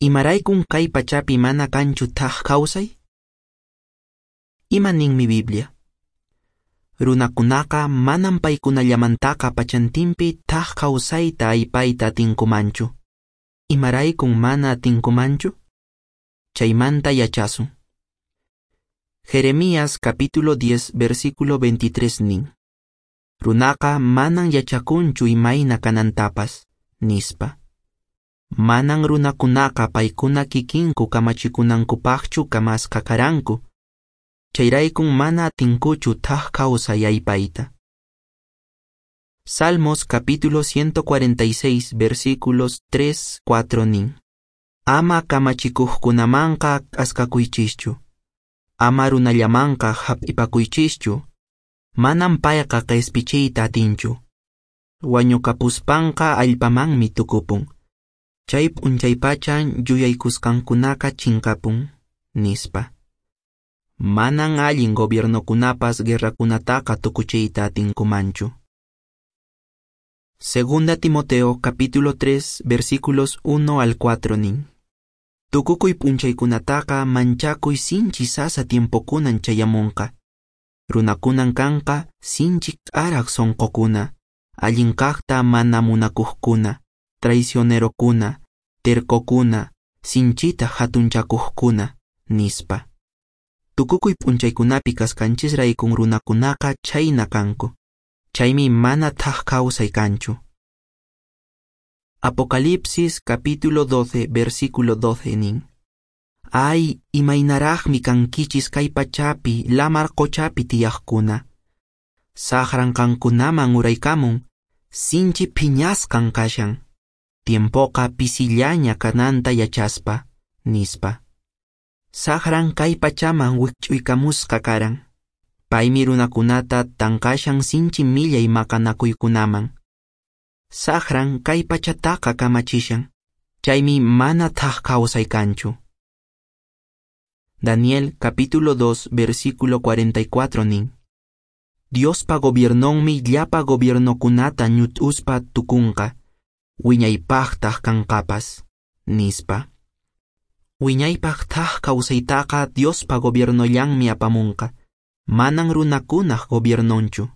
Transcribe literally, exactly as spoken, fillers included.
Imaraykun kay pachapi mana kanchu thak kawsay? Ima ninmi Biblia? Runakunaqa manan paykunallamantaqa pachantinpi thak kawsayta aypayta atinkumanchu. Imaraykun mana atinkumanchu? Chaymanta yachasun. Jeremías capítulo diez versículo veintitrés nin. Runaqa manan yachakunchu imayna kanantapas, nispa. Manan runakunaqa paykuna kikinku kamachikunankupaqchu kamasqa karanku. Chayraykun mana atinkuchu thak kawsay aypayta. Salmos capítulo ciento cuarenta y seis versículos tres, cuatro nin. Ama kamachikuqkunamanqa k'askakuychischu. Ama runallamanqa hap'ipakuychischu. Manan payqa q'ispichiyta atinchu. Wañukapuspanqa allpamanmi tukupun. Chay p'unchaypachan yuyaykusqankunaqa chinkapun, nispa. Manan allin gobiernokunapas guerrakunataqa tukuchiyta atinkumanchu. Segunda Timoteo capítulo tres versículos uno al cuatro nin. Tukukuy p'unchaykunataqa manchakuy sinchi sasa tiempokunan chayamunqa. Runakunan kanqa sinchi k'araq sunqukuna, allin kaqta mana munakuqkuna, traicionerokuna, tercokuna, sinchita hatunchakuqkuna, nispa. Tukukuy p'unchaykunapi kasqanchisraykun runakunaqa chhayna kanku. Chaymi mana thak kawsay kanchu. Apocalipsis capítulo doce versículo doce nin. Ay, imaynaraqmi kankichis kay pachapi, lamar qochapi tiyaqkuna. Saqran qankunaman uraykamun, sinchi phiñasqan kashan. Tiempoqa pisillaña kananta yachaspa, nispa. Saqran kay pachaman wikch'uykamusqa karan. Paymi runakunata tanqashan sinchi millay maqanakuykunaman. Saqran kay pachataqa kamachishan. Chaymi mana thak kawsay kanchu. Daniel capítulo dos versículo cuarenta y cuatro nin. Diospa gobiernonmi llapa gobiernokunata ñut'uspa tukunqa, wiñaypaqtaq kanqapas, nispa. Wiñaypaq thak kawsaytaqa Diospa gobiernollanmi apamunqa, manan runakunaq gobiernonchu.